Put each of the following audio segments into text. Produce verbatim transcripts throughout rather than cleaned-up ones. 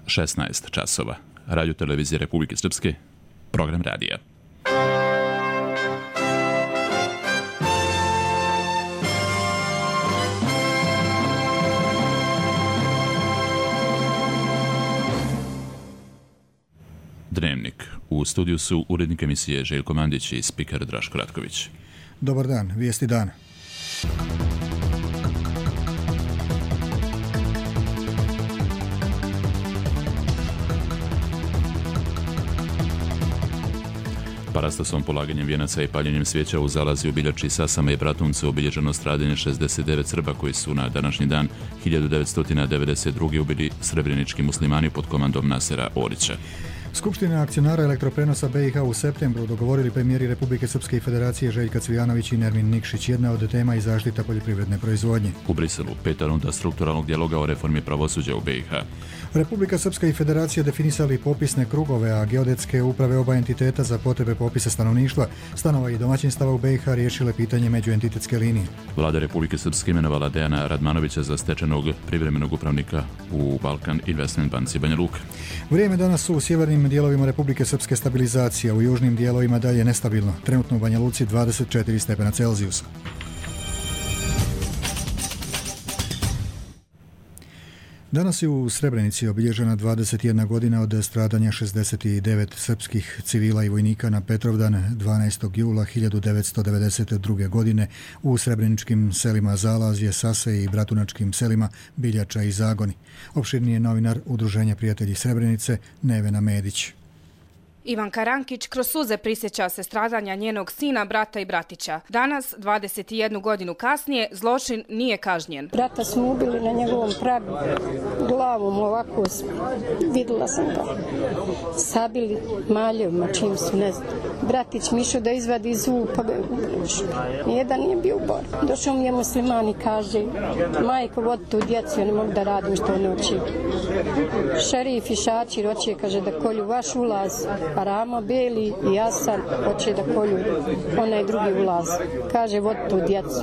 šesnaest časova. Radio televizije Republike Srpske, program radija. Dnevnik. U studiju su urednik emisije Željko Mandić i spiker Draško Ratković. Dobar dan, vijesti dana. Parastosom, polaganjem vijenaca i paljenjem svijeća u Zalazi u Biljači, Sasama i Bratuncu obilježeno stradanje šezdeset devet Srba koji su na današnji dan hiljadu devetsto devedeset druge ubili srebrenički muslimani pod komandom Nasera Orića. Skupština akcionara elektroprenosa B i H u septembru dogovorili premijeri Republike Srpske i Federacije Željka Cvijanović i Nermin Nikšić. Jedna od tema i zaštita poljoprivredne proizvodnje. U Briselu peta runda strukturalnog dijaloga o reformi pravosuđa u B i H. Republika Srpska i Federacija definisali popisne krugove, a geodetske uprave oba entiteta za potrebe popisa stanovništva, stanova i domaćinstava u B i H riješile pitanje međuentitetske linije. Vlada Republike Srpske imenovala Dejana Radmanovića za stečenog privremenog upravnika u Balkan Investment banci Banja Luka. Vrijeme danas su u sjevernim dijelovima Republike Srpske stabilizacija, u južnim dijelovima dalje nestabilno. Trenutno u Banja Luci dvadeset četiri stepena Celzijusa. Danas je u Srebrenici obilježena dvadeset jedna godina od stradanja šezdeset devet srpskih civila i vojnika na Petrovdan dvanaestog jula hiljadu devetsto devedeset druge. godine u srebreničkim selima Zalazje, Sase i bratunačkim selima Biljača i Zagoni. Opširni je novinar Udruženja prijatelji Srebrenice Nevena Medić. Ivanka Rankić kroz suze prisjeća se stradanja njenog sina, brata i bratića. Danas, dvadeset jednu godinu kasnije, zločin nije kažnjen. Brata smo ubili na njegovom pragu, glavom ovako, vidjela sam ga. Sabili maljevima, čim su, ne znam. Bratić mi išao da izvadi zub, pa ga je ubili. Nijedan nije bio u borbi. Došao mi je musliman i kaže, majko, vodi tu djecu, ja ne mogu da radim što ne oči. Šerif i Šačir hoće, kaže, da kolju vaš ulaz, a Ramo Beli i Jasan hoće da kolju onaj drugi ulaz. Kaže, vodi tu djecu.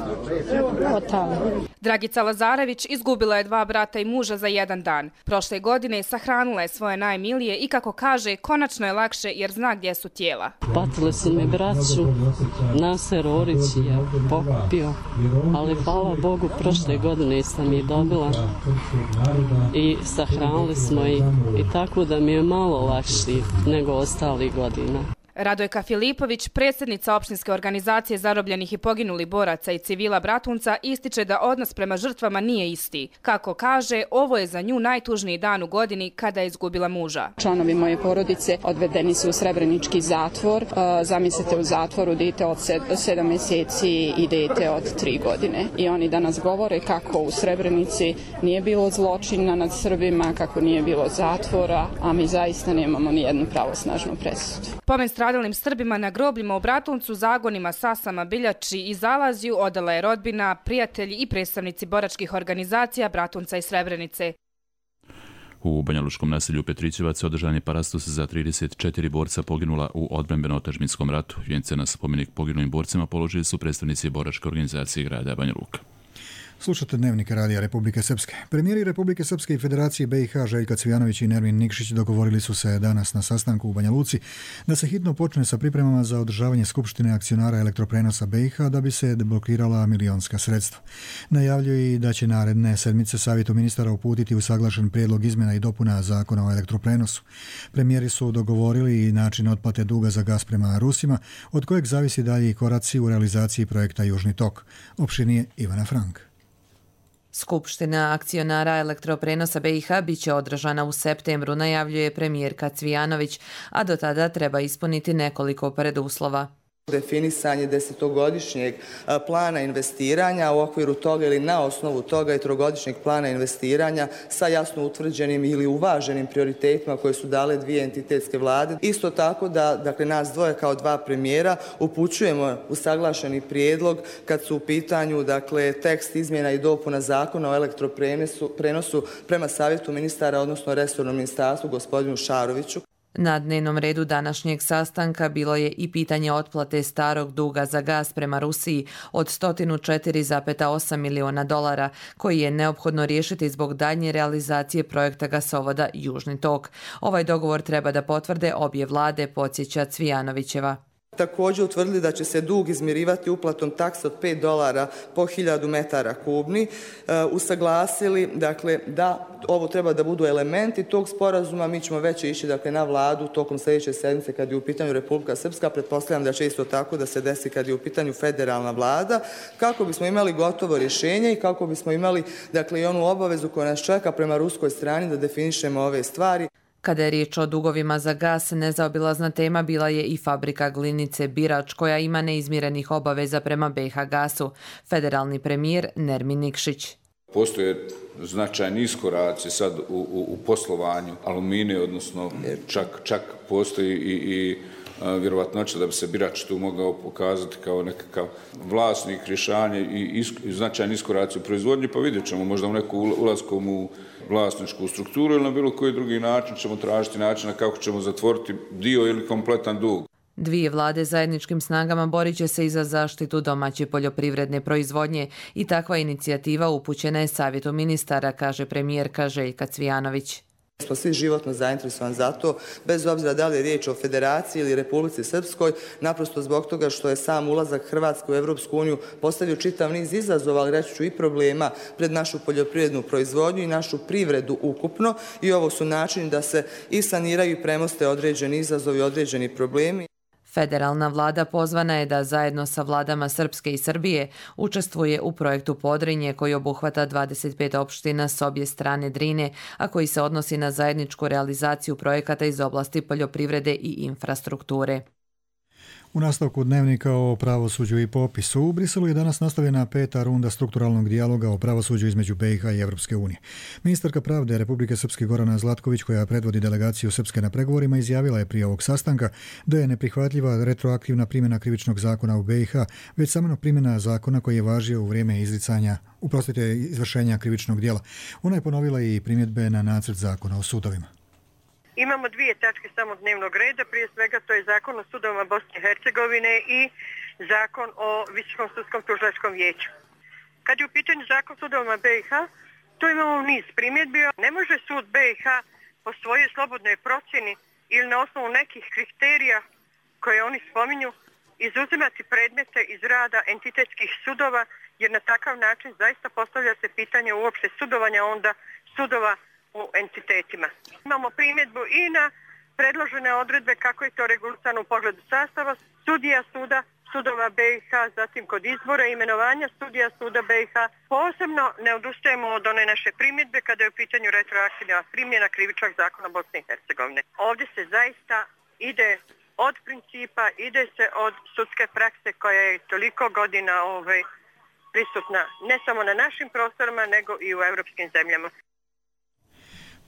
Otamo. Dragica Lazarević izgubila je dva brata i muža za jedan dan. Prošle godine sahranila je svoje najmilije i, kako kaže, konačno je lakše jer zna gdje su tijela. Patile su mi braću, Naser Orić je pokupio, ali hvala Bogu prošle godine sam je dobila i sahranili smo i, i tako da mi je malo lakši nego ostalih godina. Radojka Filipović, predsjednica opštinske organizacije zarobljenih i poginulih boraca i civila Bratunca, ističe da odnos prema žrtvama nije isti. Kako kaže, ovo je za nju najtužniji dan u godini kada je izgubila muža. Članovi moje porodice odvedeni su u srebrenički zatvor. Zamislite, u zatvoru dete od sedam mjeseci i dete od tri godine. I oni danas govore kako u Srebrenici nije bilo zločina nad Srbima, kako nije bilo zatvora, a mi zaista nemamo ni jednu pravosnažnu presudu. Pomen stradalim Srbima na grobljima u Bratuncu, Zagonima, Sasama, Biljači i Zalazju odala je rodbina, prijatelji i predstavnici boračkih organizacija Bratunca i Srebrenice. U banjalučkom naselju Petrićevac održan je parastos za trideset četiri borca poginula u odbrambeno-otadžbinskom ratu. Vijence na spomenik poginulim borcima položili su predstavnici boračke organizacije grada Banja Luka. Slušate Dnevnik radija Republike Srpske. Premijeri Republike Srpske i Federacije B i H Željka Cvijanović i Nermin Nikšić dogovorili su se danas na sastanku u Banja Luci da se hitno počne sa pripremama za održavanje Skupštine akcionara elektroprenosa B i H da bi se deblokirala milionska sredstva. Najavljuje i da će naredne sedmice Savjetu ministara uputiti usaglašen prijedlog izmjena i dopuna zakona o elektroprenosu. Premijeri su dogovorili i način otplate duga za gas prema Rusima, od kojeg zavisi dalji koraci u realizaciji projekta Južni tok. Opširnije Ivana Frank. Skupština akcionara elektroprenosa B i H biće održana u septembru, najavljuje premijerka Cvijanović, a do tada treba ispuniti nekoliko preduslova. Definisanje desetogodišnjeg plana investiranja, u okviru toga ili na osnovu toga i trogodišnjeg plana investiranja sa jasno utvrđenim ili uvaženim prioritetima koje su dale dvije entitetske vlade. Isto tako da, dakle, nas dvoje kao dva premijera upućujemo usaglašeni prijedlog kad su u pitanju, dakle, tekst izmjena i dopuna zakona o elektroprenosu prema Savjetu ministara, odnosno resornom ministarstvu gospodinu Šaroviću. Na dnevnom redu današnjeg sastanka bilo je i pitanje otplate starog duga za gas prema Rusiji od sto četiri zarez osam miliona dolara, koji je neophodno riješiti zbog daljnje realizacije projekta gasovoda Južni tok. Ovaj dogovor treba da potvrde obje vlade, podsjeća Cvijanovićeva. Također utvrdili da će se dug izmirivati uplatom takse od pet dolara po hiljadu metara kubni. E, usaglasili dakle, da ovo treba da budu elementi tog sporazuma. Mi ćemo već ići dakle, na vladu tokom sljedeće sedmice kad je u pitanju Republika Srpska. Pretpostavljam da će isto tako da se desi kad je u pitanju federalna vlada, kako bismo imali gotovo rješenje i kako bismo imali dakle, i onu obavezu koja nas čeka prema ruskoj strani da definišemo ove stvari. Kada je riječ o dugovima za gas, nezaobilazna tema bila je i fabrika glinice Birač, koja ima neizmirenih obaveza prema B i H gasu. Federalni premijer Nermin Nikšić. Postoje značajni iskoraci sad u, u, u poslovanju aluminija, odnosno čak, čak postoji i, i a, vjerovatnoća da bi se Birač tu mogao pokazati kao nekakav vlasnik rješanja i, isk, i značajni iskoraci u proizvodnji, pa vidjet ćemo možda u neku ulaskom u vlasničku strukturu ili na bilo koji drugi način ćemo tražiti načina kako ćemo zatvoriti dio ili kompletan dug. Dvije vlade zajedničkim snagama borit će se i za zaštitu domaće poljoprivredne proizvodnje i takva inicijativa upućena je Savjetu ministara, kaže premijerka Željka Cvijanović. Smo svi životno zainteresovani za to, bez obzira da li je riječ o Federaciji ili Republici Srpskoj, naprosto zbog toga što je sam ulazak Hrvatske u Evropsku uniju postavio čitav niz izazova, ali reći ću i problema pred našu poljoprivrednu proizvodnju i našu privredu ukupno, i ovo su načini da se i saniraju i premoste određeni izazovi, određeni problemi. Federalna vlada pozvana je da zajedno sa vladama Srpske i Srbije učestvuje u projektu Podrinje, koji obuhvata dvadeset pet opština s obje strane Drine, a koji se odnosi na zajedničku realizaciju projekata iz oblasti poljoprivrede i infrastrukture. U nastavku dnevnika o pravosuđu i popisu, u Briselu je danas nastavljena peta runda strukturalnog dijaloga o pravosuđu između B i H i Evropske unije. Ministarka pravde Republike Srpske Gorana Zlatković, koja predvodi delegaciju Srpske na pregovorima, izjavila je prije ovog sastanka da je neprihvatljiva retroaktivna primjena krivičnog zakona u B i H, već samo primjena zakona koji je važio u vrijeme izricanja, uprostite, izvršenja krivičnog djela. Ona je ponovila i primjedbe na nacrt zakona o sudovima. Imamo dvije tačke samo dnevnog reda, prije svega to je zakon o sudovima Bosne i Hercegovine i zakon o Visokom sudskom tužilačkom vijeću. Kad je u pitanju zakon o sudovima B i H, tu imamo niz primjedbi. Ne može sud B i H po svojoj slobodnoj procjeni ili na osnovu nekih kriterija koje oni spominju izuzimati predmete iz rada entitetskih sudova, jer na takav način zaista postavlja se pitanje uopšte sudovanja onda sudova u entitetima. Imamo primjedbu i na predložene odredbe kako je to regulisano u pogledu sastava sudija suda, sudova B i H, zatim kod izbora i imenovanja sudija suda B i H. Posebno ne odustajemo od one naše primjedbe kada je u pitanju retroaktivna primjena krivičnog zakona Bosne i Hercegovine. Ovdje se zaista ide od principa, ide se od sudske prakse koja je toliko godina ovaj, prisutna ne samo na našim prostorima nego i u europskim zemljama.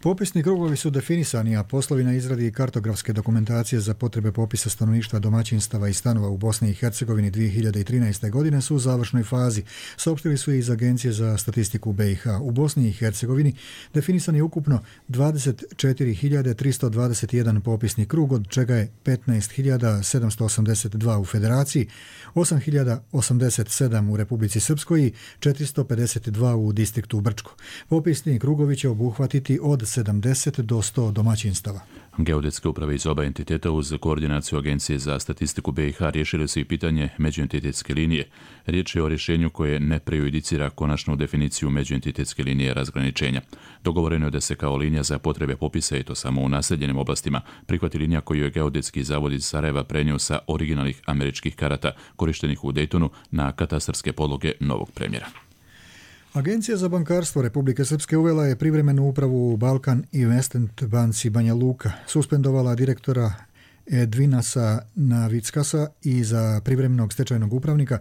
Popisni krugovi su definisani, a poslovi na izradi kartografske dokumentacije za potrebe popisa stanovništva, domaćinstava i stanova u Bosni i Hercegovini dvije hiljade trinaeste. godine su u završnoj fazi. Saopštili su i iz Agencije za statistiku B i H. U Bosni i Hercegovini definisan je ukupno dvadeset četiri hiljade tristo dvadeset jedan popisni krug, od čega je petnaest hiljada sedamsto osamdeset dva u Federaciji, osam hiljada osamdeset sedam u Republici Srpskoj i četiristo pedeset dva u distriktu Brčko. Popisni krugovi će obuhvatiti od sedamdeset do sto domaćinstava. Geodetske uprave iz oba entiteta uz koordinaciju Agencije za statistiku B i H riješili su i pitanje međuentitetske linije. Riječ je o rješenju koje ne prejudicira konačnu definiciju međuentitetske linije razgraničenja. Dogovoreno je da se kao linija za potrebe popisa, i to samo u naseljenim oblastima, prihvati linija koju je Geodetski zavod iz Sarajeva prenio sa originalnih američkih karata korištenih u Daytonu na katastarske podloge novog premjera. Agencija za bankarstvo Republike Srpske uvela je privremenu upravu u Balkan Investment banci Banja Luka, suspendovala direktora Edvinasa Navickasa i za privremenog stečajnog upravnika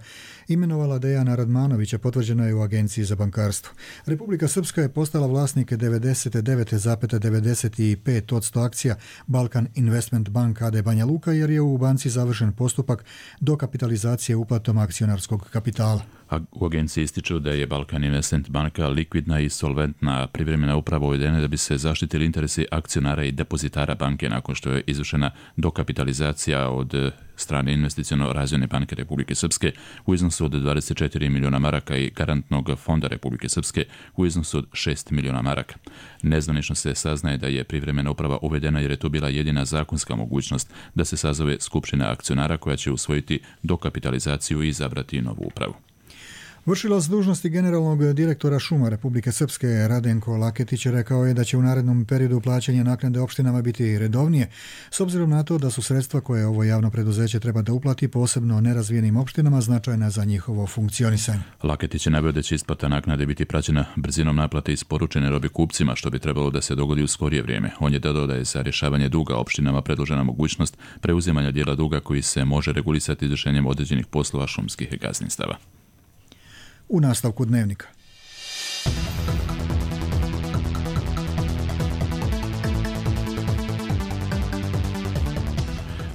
imenovala Dejana Radmanovića, potvrđeno je u Agenciji za bankarstvo. Republika Srpska je postala vlasnik devedeset devet zarez devedeset pet posto akcija Balkan Investment Bank a d Banja Luka, jer je u banci završen postupak dokapitalizacije uplatom akcionarskog kapitala. A u agenciji ističu da je Balkan Investment banka likvidna i solventna, privremena uprava uvedena da bi se zaštitili interesi akcionara i depozitara banke nakon što je izvršena dokapitalizacija od strane Investiciono-razvojne banke Republike Srpske u iznosu od dvadeset četiri miliona maraka i garantnog fonda Republike Srpske u iznosu od šest miliona maraka. Nezvanično se saznaje da je privremena uprava uvedena jer je to bila jedina zakonska mogućnost da se sazove skupština akcionara koja će usvojiti dokapitalizaciju i izabrati novu upravu. Vršilac dužnosti generalnog direktora šuma Republike Srpske Radenko Laketić rekao je da će u narednom periodu plaćanje naknade opštinama biti redovnije, s obzirom na to da su sredstva koje ovo javno preduzeće treba da uplati posebno nerazvijenim opštinama značajna za njihovo funkcionisanje. Laketić je naveo da će isplata naknade biti praćena brzinom naplate isporučene robe kupcima, što bi trebalo da se dogodi u skorije vrijeme. On je dodao da je za rješavanje duga opštinama predložena mogućnost preuzimanja dijela duga koji se može regulisati izvršenjem određenih poslova šumskih gazdinstava. U nastavku dnevnika.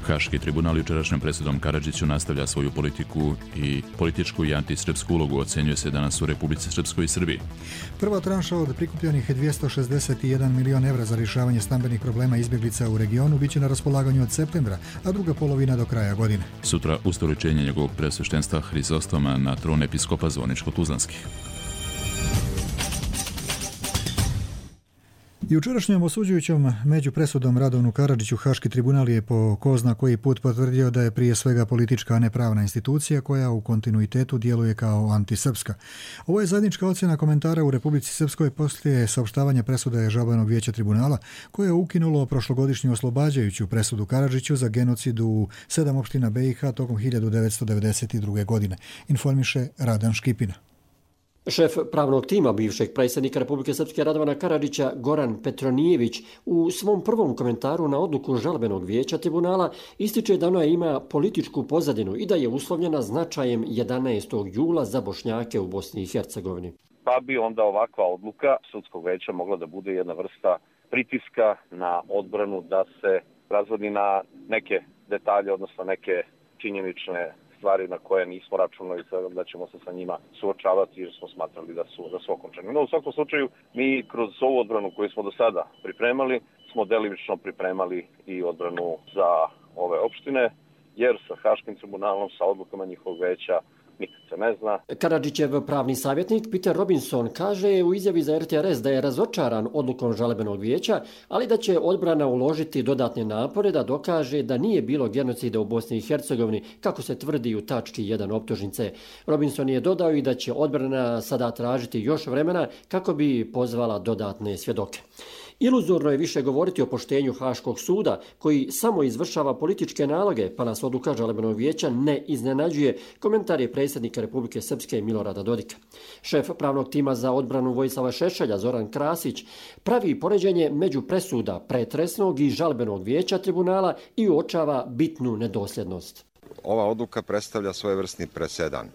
Haški tribunal jučerašnjom presudom Karadžiću nastavlja svoju politiku i političku i antisrpsku ulogu, ocenjuje se danas u Republici Srpskoj i Srbiji. Prva tranša od prikupljenih dvjesto šezdeset jedan milion evra za rješavanje stambenih problema izbjeglica u regionu biće na raspolaganju od septembra, a druga polovina do kraja godine. Sutra ustoličenje njegovog presveštenstva Hrizostoma na tron episkopa Zvoničko-Tuzlanskih. Jučerašnjom osuđujućom među presudom Radovanu Karadžiću Haški tribunal je po ko zna koji put potvrdio da je prije svega politička, a ne pravna institucija koja u kontinuitetu djeluje kao antisrpska. Ovo je zajednička ocjena komentara u Republici Srpskoj poslije saopštavanja presude Žalbenog vijeća tribunala koje je ukinulo prošlogodišnju oslobađajuću presudu Karadžiću za genocid u sedam opština B i H tokom hiljadu devetsto devedeset druge. godine. Informiše Radan Škipina. Šef pravnog tima bivšeg predsjednika Republike Srpske Radovana Karadžića Goran Petronijević u svom prvom komentaru na odluku Žalbenog vijeća tribunala ističe da ona ima političku pozadinu i da je uslovljena značajem jedanaestog jula za Bošnjake u Bosni i Hercegovini. Pa bi onda ovakva odluka sudskog vijeća mogla da bude jedna vrsta pritiska na odbranu da se razvodi na neke detalje, odnosno neke činjenične stvari na koje nismo računali da ćemo se sa njima suočavati jer smo smatrali da su, da su okončani. No, u svakom slučaju, mi kroz ovu odbranu koju smo do sada pripremali, smo delimično pripremali i odbranu za ove opštine, jer sa Haškim tribunalom, sa odlukama njihovog veća, nikad se ne zna. Karadžićev pravni savjetnik Peter Robinson kaže u izjavi za R T R S da je razočaran odlukom Žalbenog vijeća, ali da će odbrana uložiti dodatne napore da dokaže da nije bilo genocida u Bosni i Hercegovini, kako se tvrdi u tački jedan optužnice. Robinson je dodao i da će odbrana sada tražiti još vremena kako bi pozvala dodatne svjedoke. Iluzorno je više govoriti o poštenju Haškog suda, koji samo izvršava političke naloge, pa nas odluka Žalbenog vijeća ne iznenađuje, komentar je predsjednika Republike Srpske Milorada Dodika. Šef pravnog tima za odbranu Vojislava Šešelja Zoran Krasić pravi poređenje među presuda pretresnog i Žalbenog vijeća tribunala i uočava bitnu nedosljednost. Ova odluka predstavlja svojevrsni presedan,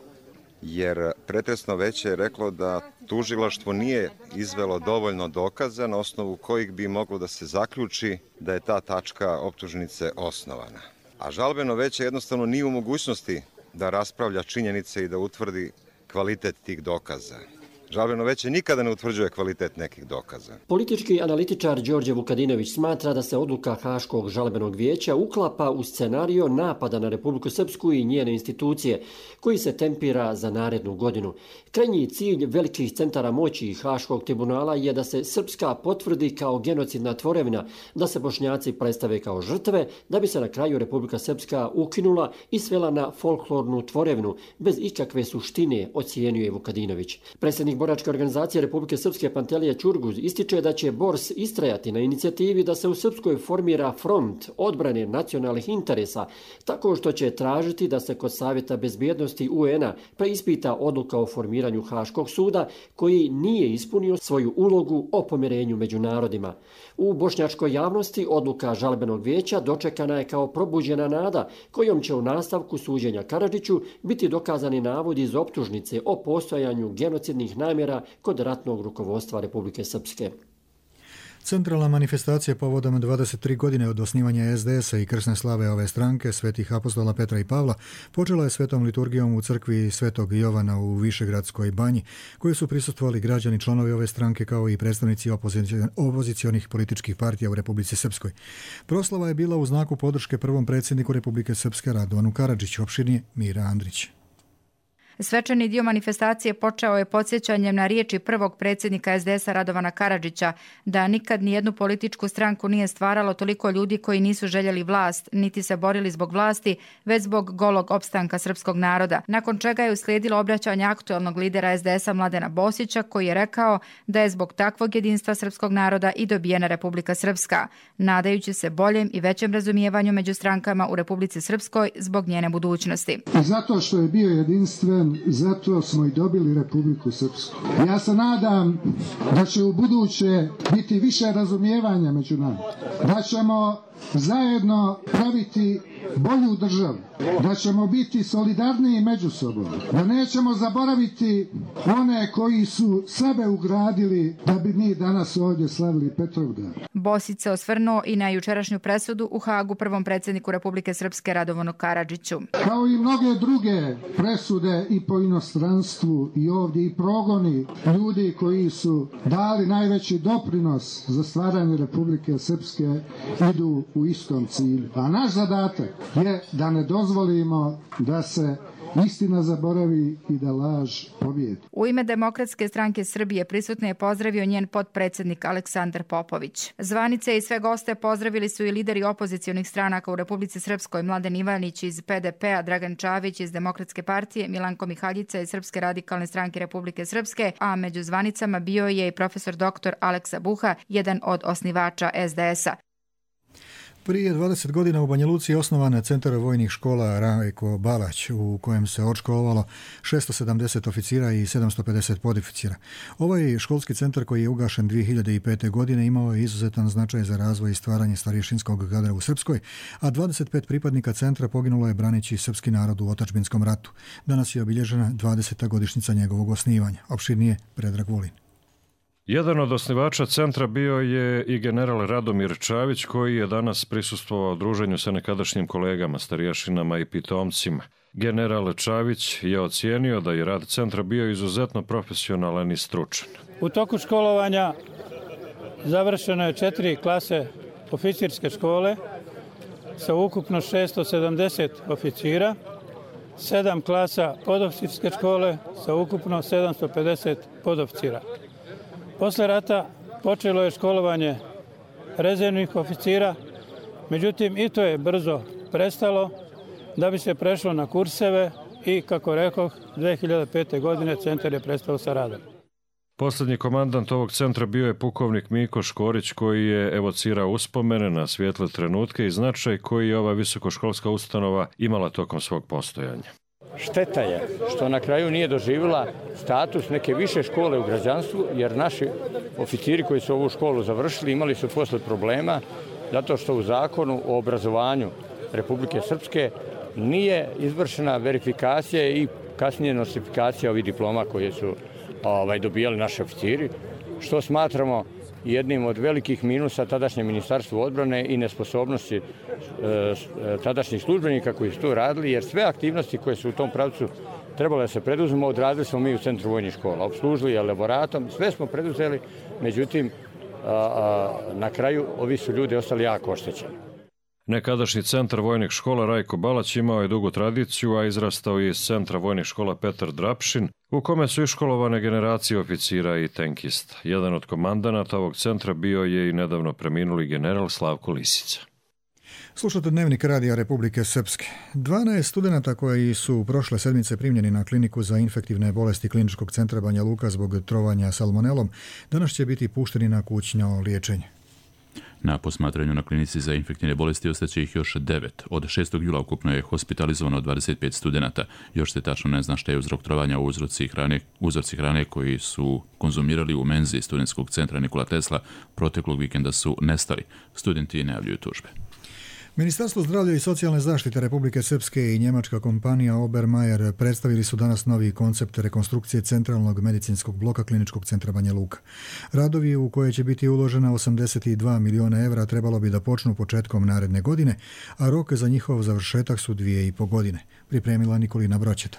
jer pretresno veće je reklo da tužilaštvo nije izvelo dovoljno dokaza na osnovu kojih bi moglo da se zaključi da je ta tačka optužnice osnovana. A žalbeno veće jednostavno nije u mogućnosti da raspravlja činjenice i da utvrdi kvalitet tih dokaza. Žalbeno veće nikada ne utvrđuje kvalitet nekih dokaza. Politički analitičar Đorđe Vukadinović smatra da se odluka Haškog žalbenog vijeća uklapa u scenario napada na Republiku Srpsku i njene institucije, koji se tempira za narednu godinu. Krajnji cilj velikih centara moći i Haškog tribunala je da se Srpska potvrdi kao genocidna tvorevina, da se Bošnjaci predstave kao žrtve, da bi se na kraju Republika Srpska ukinula i svela na folklornu tvorevinu, bez ikakve suštine, ocijenjuje Vukadinović. Predsjednik boračke organizacije Republike Srpske Pantelije Ćurguz ističe da će Bors istrajati na inicijativi da se u Srpskoj formira front odbrane nacionalnih interesa, tako što će tražiti da se kod Savjeta bezbjednosti U N a preispita odluka o formiranju Haškog suda, koji nije ispunio svoju ulogu o pomirenju među narodima. U bošnjačkoj javnosti odluka Žalbenog vijeća dočekana je kao probuđena nada, kojom će u nastavku suđenja Karadžiću biti dokazani navodi iz optužnice o postojanju genocidnih namjera kod ratnog rukovodstva Republike Srpske. Centralna manifestacija povodom dvadeset tri godine od osnivanja es de esa i krsne slave ove stranke, svetih apostola Petra i Pavla, počela je svetom liturgijom u crkvi Svetog Jovana u Višegradskoj banji, koju su prisustvovali građani članovi ove stranke kao i predstavnici opozicionih političkih partija u Republici Srpskoj. Proslava je bila u znaku podrške prvom predsjedniku Republike Srpske Radovanu Karadžiću, opširnije Mira Andrić. Svečani dio manifestacije počeo je podsjećanjem na riječi prvog predsjednika es de esa Radovana Karadžića da nikad nijednu političku stranku nije stvaralo toliko ljudi koji nisu željeli vlast, niti se borili zbog vlasti, već zbog golog opstanka srpskog naroda. Nakon čega je uslijedilo obraćanje aktualnog lidera es de esa Mladena Bosića, koji je rekao da je zbog takvog jedinstva srpskog naroda i dobijena Republika Srpska, nadajući se boljem i većem razumijevanju među strankama u Republici Srpskoj zbog njene budućnosti. Zato što je bio jedinstven, zato smo i dobili Republiku Srpsku. Ja se nadam da će u buduće biti više razumijevanja među nama, da ćemo zajedno praviti bolju državu, da ćemo biti solidarniji među sobom, da nećemo zaboraviti one koji su sebe ugradili da bi mi danas ovdje slavili Petrovdan. Bosić se osvrnuo i na jučerašnju presudu u Hagu prvom predsjedniku Republike Srpske Radovanu Karadžiću. Kao i mnoge druge presude i po inostranstvu i ovdje i progoni ljudi koji su dali najveći doprinos za stvaranje Republike Srpske idu u istom cilju. A naš zadatak je da ne dozvolimo da se istina zaboravi i da laž pobjedi. U ime Demokratske stranke Srbije prisutno je pozdravio njen potpredsjednik Aleksandar Popović. Zvanice i sve goste pozdravili su i lideri opozicionih stranaka u Republici Srpskoj, Mladen Ivanić iz pe de pe a, Dragan Čavić iz Demokratske partije, Milanko Mihaljica iz Srpske radikalne stranke Republike Srpske, a među zvanicama bio je i profesor doktor Aleksa Buha, jedan od osnivača es de esa. Prije dvadeset godina u Banja Luci je osnovan centar vojnih škola Rajko Balać, u kojem se odškolovalo šesto sedamdeset oficira i sedamsto pedeset podoficira. Ovaj školski centar, koji je ugašen dvije hiljade pete. godine, imao je izuzetan značaj za razvoj i stvaranje starješinskog kadra u Srpskoj, a dvadeset pet pripadnika centra poginulo je braneći srpski narod u otadžbinskom ratu. Danas je obilježena dvadeseta godišnjica njegovog osnivanja. Opširnije Predrag Vulin. Jedan od osnivača centra bio je i general Radomir Čavić, koji je danas prisustvovao druženju sa nekadašnjim kolegama, starješinama i pitomcima. General Čavić je ocijenio da je rad centra bio izuzetno profesionalan i stručan. U toku školovanja završeno je četiri klase oficirske škole sa ukupno šesto sedamdeset oficira, sedam klasa podoficirske škole sa ukupno sedamsto pedeset podoficira. Posle rata počelo je školovanje rezervnih oficira, međutim i to je brzo prestalo da bi se prešlo na kurseve i, kako rekoh, dve hiljade pete. godine centar je prestao sa radom. Posljednji komandant ovog centra bio je pukovnik Miko Škorić, koji je evocirao uspomene na svijetle trenutke i značaj koji je ova visokoškolska ustanova imala tokom svog postojanja. Šteta je što na kraju nije doživjela status neke više škole u građanstvu, jer naši oficiri koji su ovu školu završili imali su posle problema zato što u zakonu o obrazovanju Republike Srpske nije izvršena verifikacija i kasnije nostrifikacija ovih diploma koje su ovaj, dobijali naši oficiri, što smatramo jednim od velikih minusa tadašnje ministarstvo odbrane i nesposobnosti e, tadašnjih službenika koji su to radili, jer sve aktivnosti koje su u tom pravcu trebalo da se preduzmemo, odradili smo mi u Centru vojnih škola. Obslužili je laboratom, sve smo preduzeli, međutim, a, a, na kraju ovi su ljudi ostali jako oštećeni. Nekadašnji centar vojnih škola Rajko Balać imao je dugu tradiciju, a izrastao je iz centra vojnih škola Petar Drapšin, u kome su iškolovane generacije oficira i tenkista. Jedan od komandanata ovog centra bio je i nedavno preminuli general Slavko Lisica. Slušate Dnevnik radija Republike Srpske. dvanaest studenata koji su prošle sedmice primljeni na kliniku za infektivne bolesti Kliničkog centra Banja Luka zbog trovanja salmonelom danas će biti pušteni na kućno liječenje. Na posmatranju na klinici za infektivne bolesti ostaće ih još devet. Od šestog jula ukupno je hospitalizovano dvadeset pet studenata. Još se tačno ne zna šta je uzrok trovanja u uzroci hrane, uzorci hrane koji su konzumirali u menzi Studentskog centra Nikola Tesla proteklog vikenda su nestali. Studenti najavljuju tužbe. Ministarstvo zdravlja i socijalne zaštite Republike Srpske i njemačka kompanija Obermayer predstavili su danas novi koncept rekonstrukcije centralnog medicinskog bloka Kliničkog centra Banja Luka. Radovi u koje će biti uložena osamdeset dva miliona evra trebalo bi da počnu početkom naredne godine, a rok za njihov završetak su dvije i po godine. Pripremila Nikolina Broćeta.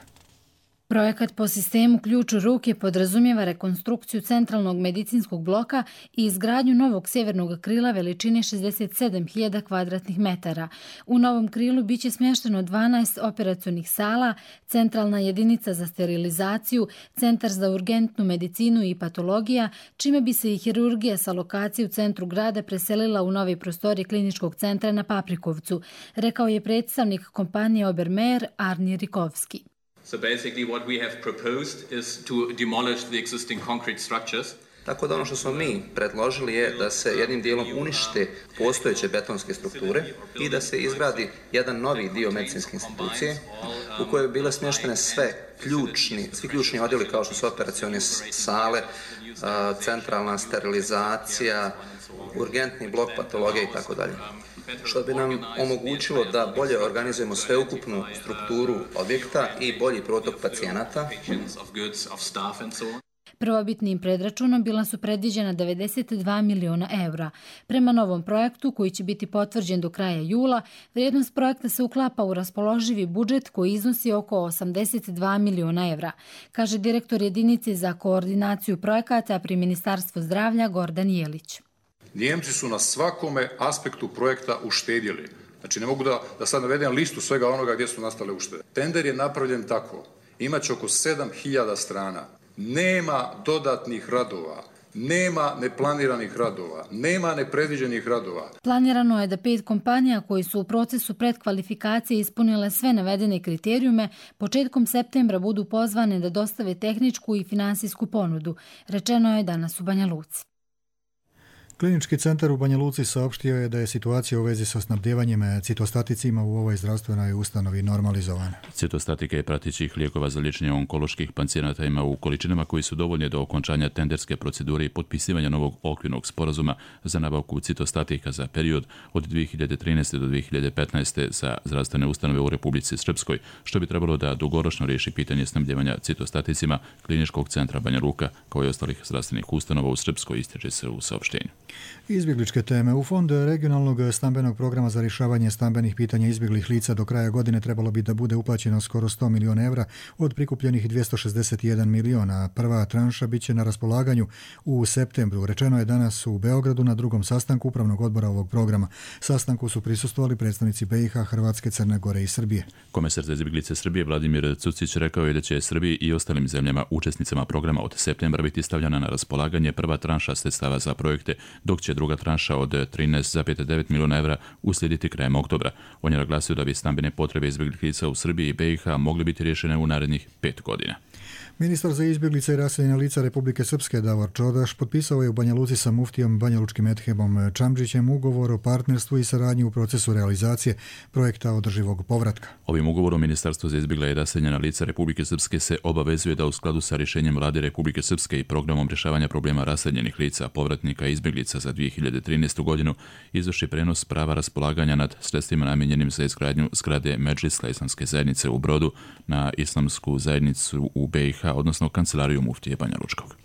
Projekat po sistemu ključ u ruke podrazumijeva rekonstrukciju centralnog medicinskog bloka i izgradnju novog sjevernog krila veličine šezdeset sedam hiljada kvadratnih metara. U novom krilu biće smješteno dvanaest operacionih sala, centralna jedinica za sterilizaciju, centar za urgentnu medicinu i patologija, čime bi se i hirurgija sa lokacije u centru grada preselila u nove prostorije kliničkog centra na Paprikovcu, rekao je predstavnik kompanije Obermayer Arni Rikovski. So basically what we have proposed is to demolish the existing concrete structures. Tako da ono što smo mi predložili je da se jednim dijelom unište postojeće betonske strukture i da se izgradi jedan novi dio medicinske institucije u kojoj bi bile smještene sve ključni, svi ključni odjeli kao što su operacione sale, centralna sterilizacija, urgentni blok patologije i tako dalje. Što bi nam omogućilo da bolje organizujemo sveukupnu strukturu objekta i bolji protok pacijenata. Prvobitnim predračunom bila su predviđena devedeset dva miliona evra. Prema novom projektu, koji će biti potvrđen do kraja jula, vrijednost projekta se uklapa u raspoloživi budžet koji iznosi oko osamdeset dva miliona evra, kaže direktor jedinice za koordinaciju projekata pri Ministarstvu zdravlja Gordan Jelić. Njemci su na svakome aspektu projekta uštedjeli. Znači ne mogu da, da sad navedem listu svega onoga gdje su nastale uštede. Tender je napravljen tako. Imaće oko sedam hiljada strana. Nema dodatnih radova. Nema neplaniranih radova. Nema nepredviđenih radova. Planirano je da pet kompanija koji su u procesu predkvalifikacije ispunile sve navedene kriterijume početkom septembra budu pozvane da dostave tehničku i finansijsku ponudu. Rečeno je danas u Banja Luci. Klinički centar u Banja Luci saopštio je da je situacija u vezi sa snabdjevanjem citostaticima u ovoj zdravstvenoj ustanovi normalizovana. Citostatika je pratećih lijekova za liječenje onkoloških pacijenata ima u količinama koji su dovoljne do okončanja tenderske procedure i potpisivanja novog okvirnog sporazuma za nabavku citostatika za period od dvije hiljade trinaeste do dvije hiljade petnaeste za zdravstvene ustanove u Republici Srpskoj, što bi trebalo da dugoročno riješi pitanje snabdjevanja citostaticima Kliničkog centra Banja Luka kao i ostalih zdravstvenih ustanova u Srpskoj, ističe se u saopštenju. Izbjegličke teme. U Fond regionalnog stambenog programa za rješavanje stambenih pitanja izbjeglih lica do kraja godine trebalo bi da bude uplaćeno skoro sto miliona evra od prikupljenih dvjesto šezdeset jedan miliona. Prva tranša biće na raspolaganju u septembru. Rečeno je danas u Beogradu na drugom sastanku upravnog odbora ovog programa. Sastanku su prisustvovali predstavnici B i H, Hrvatske, Crne Gore i Srbije. Komesar za izbjeglice Srbije Vladimir Cucić rekao je da će Srbiji i ostalim zemljama učesnicama programa od septembra biti stavljena na raspolaganje prva tranša sredstava za projekte, dok će druga tranša od trinaest zarez devet miliona evra uslijediti krajem oktobra. On je naglasio da bi stambene potrebe izbjeglih lica u Srbiji i B i H mogli biti rješene u narednih pet godina. Ministar za izbjeglice i raseljena lica Republike Srpske Davor Čodaš potpisao je u Banja Luci sa muftijom banjalučkim Edhebom Čamdžićem ugovor o partnerstvu i saradnji u procesu realizacije projekta održivog povratka. Ovim ugovorom Ministarstvo za izbjegla i raseljena lica Republike Srpske se obavezuje da u skladu sa rješenjem Vlade Republike Srpske i programom rješavanja problema raseljenih lica, povratnika i izbjeglica za dvije hiljade trinaestu godinu izvrši prenos prava raspolaganja nad sredstvima namijenjenim za izgradnju zgrade Medžlisla islamske zajednice u Brodu na islamsku zajednicu u B i H, odnosno kancelariju muftije Banja Lučkog.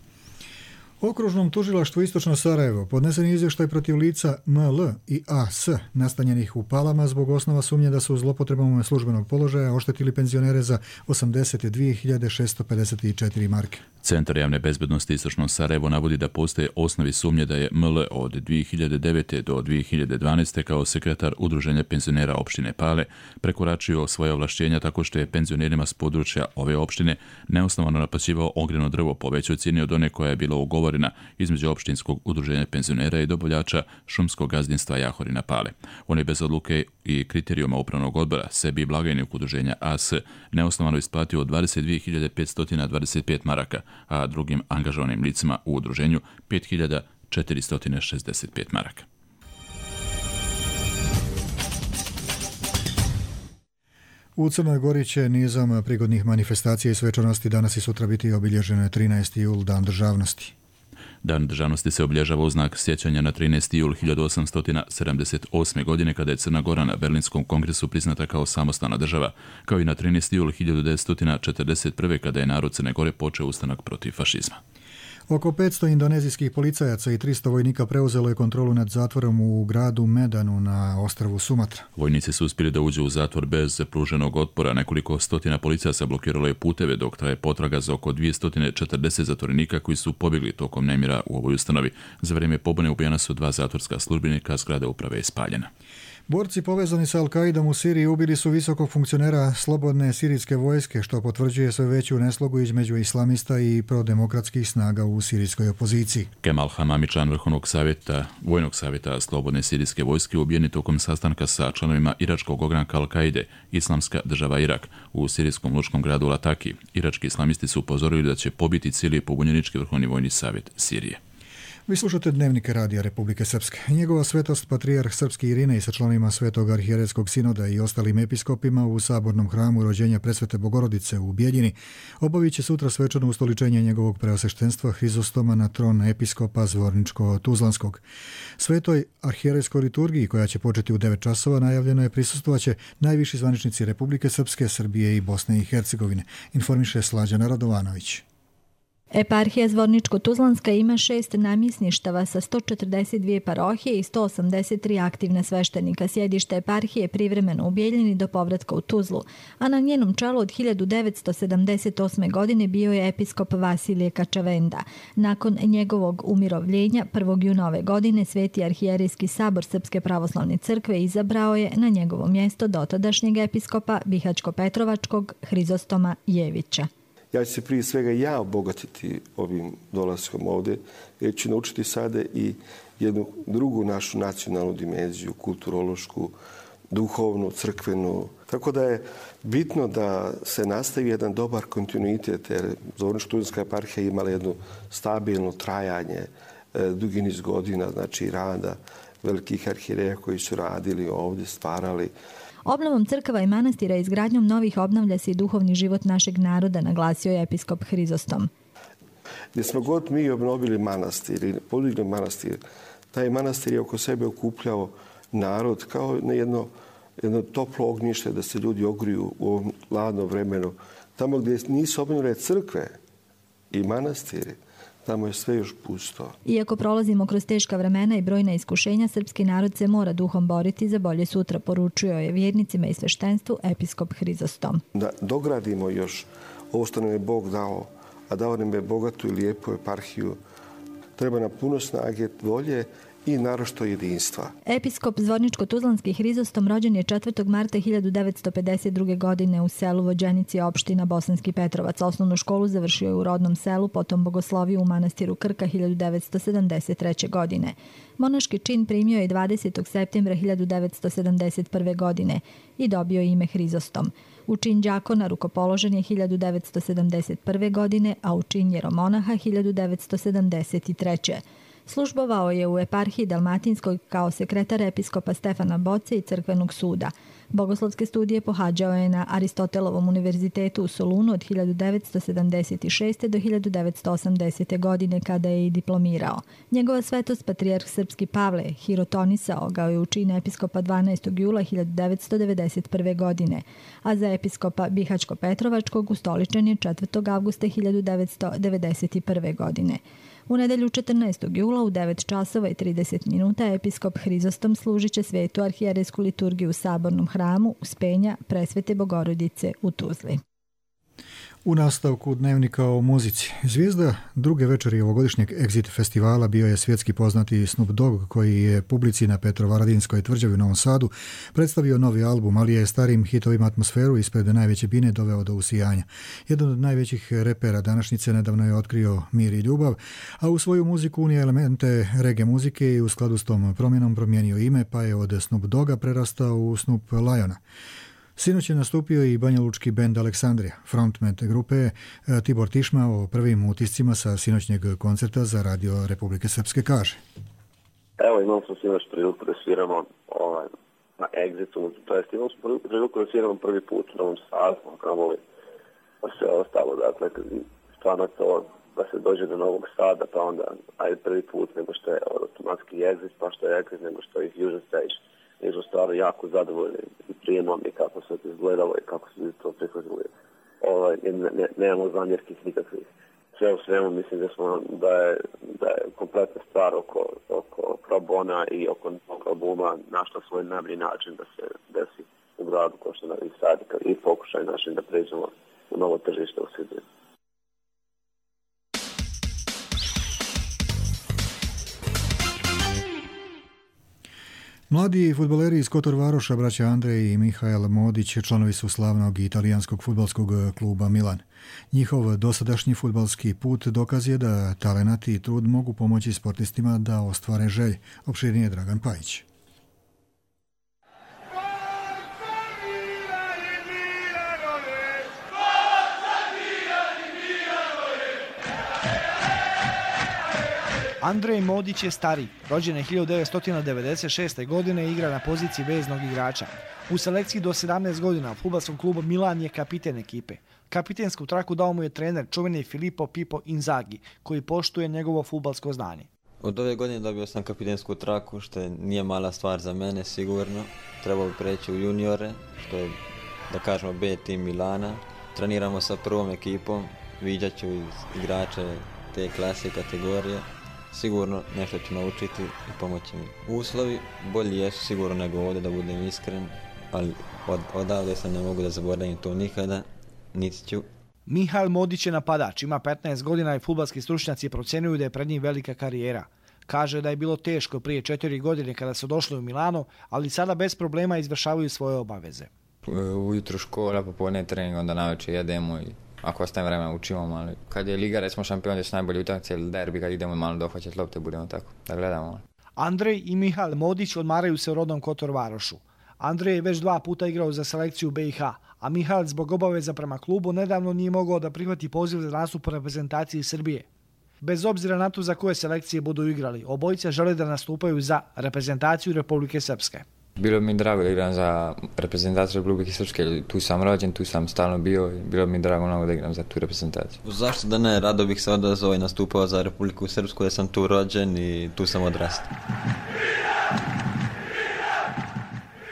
Okružnom tužilaštvu Istočno Sarajevo podnesen je izvještaj protiv lica M L i A S nastanjenih u Palama zbog osnova sumnje da su zlopotrebom službenog položaja oštetili penzionere za osamdeset dvije hiljade šesto pedeset četiri marke. Centar javne bezbednosti Istočno Sarajevo navodi da postoje osnovi sumnje da je M L od dvije hiljade devete do dvije hiljade dvanaeste kao sekretar Udruženja penzionera opštine Pale prekoračio svoje ovlašćenja tako što je penzionerima s područja ove opštine neosnovano naplaćivao ogrjevno drvo po većoj cijeni od one koja je bila ugovorena između opštinskog udruženja penzionera i dobavljača šumskog gazdinstva Jahorina Pale. On je bez odluke i kriterijuma upravnog odbora sebi i blagajnik udruženja A S neosnovano isplatio dvadeset dvije hiljade petsto dvadeset pet maraka, a drugim angažovanim licima u udruženju pet hiljada četiristo šezdeset pet maraka. U Crnoj Gori će nizom prigodnih manifestacija i svečanosti danas i sutra biti obilježen trinaesti jul, dan državnosti. Dan državnosti se obilježava u znak sjećanja na trinaesti jul hiljadu osamsto sedamdeset osme. godine kada je Crna Gora na Berlinskom kongresu priznata kao samostalna država, kao i na trinaesti jul hiljadu devetsto četrdeset prve. kada je narod Crne Gore počeo ustanak protiv fašizma. Oko petsto indonezijskih policajaca i tristo vojnika preuzelo je kontrolu nad zatvorom u gradu Medanu na ostrvu Sumatra. Vojnici su uspjeli da uđu u zatvor bez pruženog otpora. Nekoliko stotina policajaca blokiralo je puteve dok traje potraga za oko dvjesto četrdeset zatvorenika koji su pobjegli tokom nemira u ovoj ustanovi. Za vrijeme pobune ubijena su dva zatvorska službenika, zgrada uprave je spaljena. Borci povezani sa Al-Kaidom u Siriji ubili su visokog funkcionera slobodne sirijske vojske, što potvrđuje sve veću neslogu između islamista i prodemokratskih snaga u sirijskoj opoziciji. Kemal Hamami, član Vrhovnog savjeta, Vojnog savjeta slobodne sirijske vojske, ubijen je tokom sastanka sa članovima iračkog ogranka Al-Kaide, Islamska država Irak, u sirijskom lučkom gradu Lataki. Irački islamisti su upozorili da će pobiti cijeli pobunjenički Vrhovni vojni savjet Sirije. Vi slušate Dnevnike Radija Republike Srpske. Njegova svetost patrijarh srpski Irinej sa članovima Svetog arhijerejskog sinoda i ostalim episkopima u sabornom hramu rođenja Presvete Bogorodice u Bijeljini obavit će sutra svečano ustoličenje njegovog preosveštenstva Hrizostoma na tron episkopa Zvorničko-Tuzlanskog. Svetoj arhijerejskoj liturgiji, koja će početi u devet časova, najavljeno je prisustvovaće najviši zvaničnici Republike Srpske, Srbije i Bosne i Hercegovine, informiše Slađana Radovanović. Eparhija Zvorničko-Tuzlanska ima šest namjesništava sa sto četrdeset dvije parohije i sto osamdeset tri aktivna sveštenika. Sjedište eparhije privremeno u Bijeljini do povratka u Tuzlu, a na njenom čelu od hiljadu devetsto sedamdeset osme. godine bio je episkop Vasilije Kačavenda. Nakon njegovog umirovljenja prvog juna ove godine Sveti arhijerejski sabor Srpske pravoslavne crkve izabrao je na njegovo mjesto dotadašnjeg episkopa Bihaćko-Petrovačkog Hrizostoma Jevića. Ja ću se prije svega ja obogatiti ovim dolaskom ovdje, jer ću naučiti sada i jednu drugu našu nacionalnu dimenziju, kulturološku, duhovnu, crkvenu. Tako da je bitno da se nastavi jedan dobar kontinuitet, jer Zvorničko-Tuzlanska eparhija imala jedno stabilno trajanje, dugi niz godina, znači rada velikih arhijereja koji su radili ovdje, stvarali. Obnovom crkava i manastira i izgradnjom novih obnavlja se i duhovni život našeg naroda, naglasio je episkop Hrizostom. Gdje smo god mi obnovili manastir ili podigli manastir, taj manastir je oko sebe okupljao narod kao na jedno, jedno toplo ognjište da se ljudi ogriju u ovom hladnom vremenu. Tamo gdje nisu obnovljene crkve i manastiri, tamo je sve još pusto. Iako prolazimo kroz teška vremena i brojna iskušenja, srpski narod se mora duhom boriti za bolje sutra, poručio je vjernicima i sveštenstvu episkop Hrizostom. Da dogradimo još ovo što nam je Bog dao, a dao nam je bogatu i lijepu eparhiju, treba nam puno snage, volje i naročito jedinstva. Episkop Zvorničko-Tuzlanski Hrizostom rođen je četvrtog marta hiljadu devetsto pedeset druge. godine u selu Vođenici, opština Bosanski Petrovac. Osnovnu školu završio je u rodnom selu, potom bogosloviju u manastiru Krka hiljadu devetsto sedamdeset treće. godine. Monaški čin primio je dvadesetog septembra hiljadu devetsto sedamdeset prve. godine i dobio ime Hrizostom. U čin đakona rukopoložen je hiljadu devetsto sedamdeset prve. godine, a u čin jeromonaha hiljadu devetsto sedamdeset treće. Službovao je u eparhiji Dalmatinskoj kao sekretar episkopa Stefana Boce i crkvenog suda. Bogoslovske studije pohađao je na Aristotelovom univerzitetu u Solunu od hiljadu devetsto sedamdeset šeste. do hiljadu devetsto osamdesete. godine kada je i diplomirao. Njegova svetost patrijarh srpski Pavle hirotonisao ga je u čin episkopa dvanaestog jula hiljadu devetsto devedeset prve. godine, a za episkopa Bihaćko-Petrovačkog ustoličen je četvrtog avgusta hiljadu devetsto devedeset prve. godine. U nedelju četrnaestog jula u devet časova i trideset minuta episkop Hrizostom služit će svetu arhijerejsku liturgiju u sabornom hramu Uspenja Presvete Bogorodice u Tuzli. U nastavku Dnevnika o muzici. Zvijezda druge večeri ovogodišnjeg Exit festivala bio je svjetski poznati Snoop Dogg, koji je publici na Petrovaradinskoj tvrđavi u Novom Sadu predstavio novi album, ali je starim hitovima atmosferu ispred najveće bine doveo do usijanja. Jedan od najvećih repera današnjice nedavno je otkrio Mir i ljubav, a u svoju muziku unije elemente reggae muzike i u skladu s tom promjenom promijenio ime, pa je od Snoop Dogga prerastao u Snoop Liona. Sinoć je nastupio i banjalučki bend Aleksandrija. Frontman grupe Tibor Tišma o prvim utiscima sa sinoćnjeg koncerta za Radio Republike Srpske kaže. Evo, imam sam sinoć priliku da sviramo ovaj, na Exitu, to jest imam sam priliku da sviramo prvi put u Novom Sadu, kamoli pa sve ostalo, dakle, stvarno to pa se dođe do Novog Sada, pa onda ajde prvi put nego što je automatski exit, pa što je exit nego što je Fusion Stage. Mi smo stvarno jako zadovoljni i prijemom i kako se to izgledalo i kako se to prihvatili. Ovaj, ne, ne, nemamo zamjerkih nikakvih. Sve u svemu mislim da, smo, da, je, da je kompletna stvar oko, oko Pro Bona i oko novog albuma našla svoj najbolji način da se desi u gradu kao što Novi Sad i pokušaj našim da pređemo u novo tržište u Srbiji. Mladi fudbaleri iz Kotor Varoša, braća Andrej i Mihael Modić, članovi su slavnog italijanskog fudbalskog kluba Milan. Njihov dosadašnji fudbalski put dokaz je da talenat i trud mogu pomoći sportistima da ostvare želje. Opširnije Dragan Pajić. Andrej Modić je stariji, rođen je hiljadu devetsto devedeset šeste. godine i igra na poziciji veznog igrača. U selekciji do sedamnaest godina u fudbalskom klubu Milan je kapiten ekipe. Kapitensku traku dao mu je trener čuveni Filippo Pippo Inzaghi, koji poštuje njegovo fudbalsko znanje. Od ove godine dobio sam kapitensku traku, što nije mala stvar za mene sigurno. Trebao bi preći u juniore, što je, da kažemo, B tim Milana. Treniramo sa prvom ekipom, viđat ću igrače te klase i kategorije. Sigurno nešto ću naučiti i pomoći mi. Uslovi bolji jesu sigurno nego ovdje, da budem iskren, ali od, odavde sam ne mogu da zaboravim to nikada, niti ću. Mihael Modić je napadač, ima petnaest godina i fudbalski stručnjaci procjenjuju da je pred njim velika karijera. Kaže da je bilo teško prije četiri godine kada su došli u Milano, ali sada bez problema izvršavaju svoje obaveze. Ujutru škola, popodne trening, onda navečer jedemo i ako ostajem vremena učimo, ali kad je liga, recimo šampion, gdje su najbolji utakmice ili derbi, kad idemo malo dohvaćati lopte, budemo tako, da gledamo. Andrej i Mihael Modić odmaraju se u rodnom Kotor Varošu. Andrej je već dva puta igrao za selekciju B i H, a Mihael zbog obaveza prema klubu nedavno nije mogao da prihvati poziv za nastup u reprezentaciji Srbije. Bez obzira na to za koje selekcije budu igrali, obojica žele da nastupaju za reprezentaciju Republike Srpske. Bilo mi drago da igram za reprezentaciju Republike Srpske, tu sam rođen, tu sam stalno bio i bilo mi drago mnogo da igram za tu reprezentaciju. Zašto da ne, rado bih se odazvao i nastupao za Republiku Srpsku, da sam tu rođen i tu sam odrastao.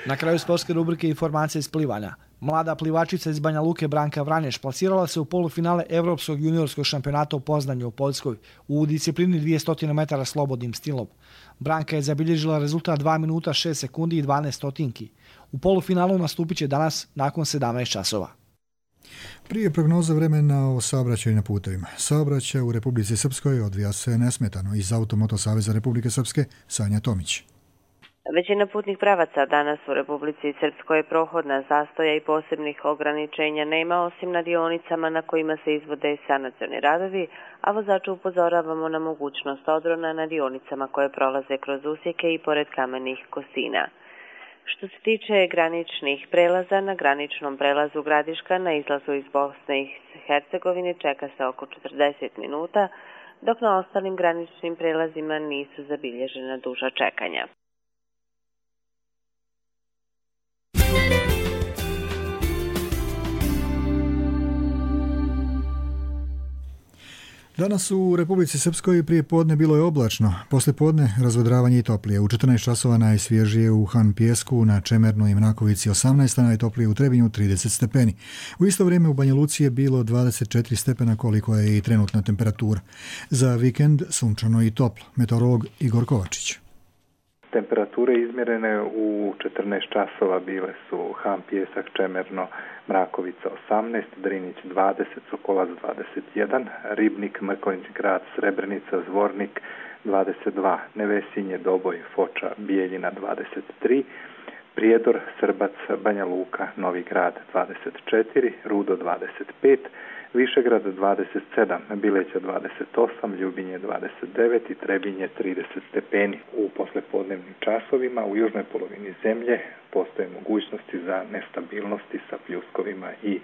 Na kraju sportske rubrike informacije iz plivanja. Mlada plivačica iz Banja Luke Branka Vranješ plasirala se u polufinale Evropskog juniorskog šampionata u Poznanju u Poljskoj u disciplini dvjesto metara slobodnim stilom. Branka je zabilježila rezultat dva minuta šest sekundi i dvanaest stotinki. U polufinalu nastupit će danas nakon sedamnaest časova. Prije prognoza vremena o saobraćaju na putevima. Saobraćaj u Republici Srpskoj odvija se nesmetano. Iz Automoto Saveza Republike Srpske, Sanja Tomić. Većina putnih pravaca danas u Republici Srpskoj je prohodna, zastoja i posebnih ograničenja nema, osim na dionicama na kojima se izvode sanacioni radovi, a vozaču upozoravamo na mogućnost odrona na dionicama koje prolaze kroz usjeke i pored kamenih kosina. Što se tiče graničnih prelaza, na graničnom prelazu Gradiška na izlazu iz Bosne i Hercegovine čeka se oko četrdeset minuta, dok na ostalim graničnim prelazima nisu zabilježena duža čekanja. Danas u Republici Srpskoj prije podne bilo je oblačno, poslije podne razvodravanje i toplije. U četrnaest časova najsvježije u Han Pijesku, na Čemernoj i Mrakovici osamnaest, a najtoplije u Trebinju trideset stepeni. U isto vrijeme u Banja Luci je bilo dvadeset četiri stepena, koliko je i trenutna temperatura. Za vikend sunčano i toplo. Meteorolog Igor Kovačić. Temperature izmjerene u četrnaest časova bile su Han Pijesak, Čemerno, Mrakovica osamnaest, Drinić dvadeset, Sokolac dvadeset jedan, Ribnik, Mrkonjić grad, Srebrenica, Zvornik dvadeset dva, Nevesinje, Doboj, Foča, Bijeljina dvadeset tri, Prijedor, Srbac, Banja Luka, Novi grad dvadeset četiri, Rudo dvadeset pet, Višegrad dvadeset sedam, Bileća dvadeset osam, Ljubinje dvadeset devet i Trebinje trideset stepeni. U poslepodnevnim časovima u južnoj polovini zemlje postoje mogućnosti za nestabilnosti sa pljuskovima i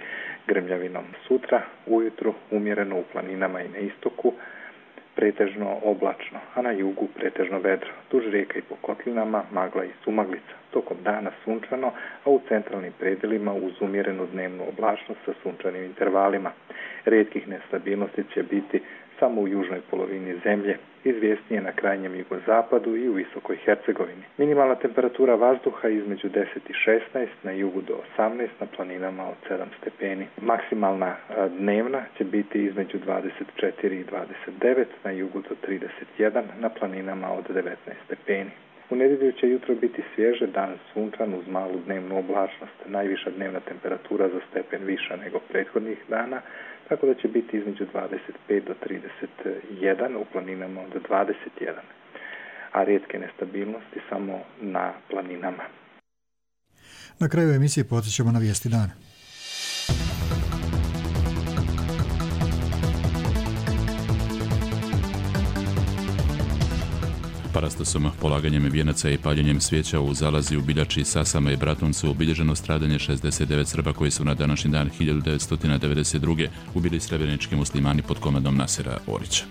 grmljavinom. Sutra ujutru umjereno u planinama i na istoku, pretežno oblačno, a na jugu pretežno vedro. Duž rijeka i po kotlinama magla i sumaglica. Tokom dana sunčano, a u centralnim predelima uz umjerenu dnevnu oblačnost sa sunčanim intervalima. Rijetkih nestabilnosti će biti sa samo u južnoj polovini zemlje, izvjesnije na krajnjem jugozapadu i u visokoj Hercegovini. Minimalna temperatura vazduha između deset i šesnaest, na jugu do osamnaest, na planinama od sedam stepeni. Maksimalna dnevna će biti između dvadeset četiri i dvadeset devet, na jugu do trideset jedan, na planinama od devetnaest stepeni. U nedjelju će jutro biti svježe, dan sunčan uz malu dnevnu oblačnost. Najviša dnevna temperatura za stepen viša nego prethodnih dana, tako da će biti između dvadeset pet do trideset jedan, u planinama od dvadeset jedan, a rijetke nestabilnosti samo na planinama. Na kraju emisije podsjećamo na vijesti dana. Parastosom, polaganjem vijenaca i paljenjem svijeća u Zalazi, u Biljači, Sasama i Bratuncu obilježeno stradanje šezdeset devet Srba koji su na današnji dan hiljadu devetsto devedeset druge ubili srebrenički muslimani pod komandom Nasera Orića.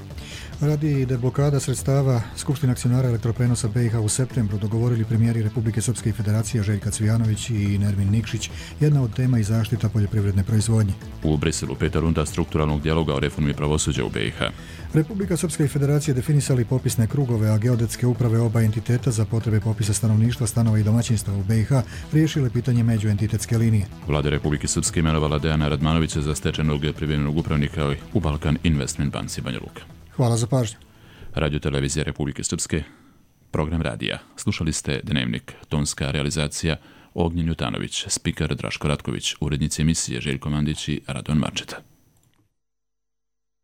Radi deblokada sredstava, Skupština akcionara elektroprenosa B i H u septembru dogovorili premijeri Republike Srpske i Federacije Željka Cvijanović i Nermin Nikšić. Jedna od tema i zaštita poljoprivredne proizvodnje. U Briselu peta runda strukturalnog dijaloga o reformi pravosuđa u B i H. Republika Srpska i Federacije definisali popisne krugove, a geodetske uprave oba entiteta za potrebe popisa stanovništva, stanova i domaćinstva u B i H riješile pitanje međuentitetske linije. Vlada Republike Srpske imenovala Dejana Radmanovića za stečajnog privremenog upravnika u Balkan Investment Banci Banja Luka. Hvala za pažnju. Radio Televizija Republike Srpske, program radija. Slušali ste Dnevnik, tonska realizacija Ognjen Jutanović, spiker Draško Ratković, urednici emisije Željko Mandić i Radon Marčeta.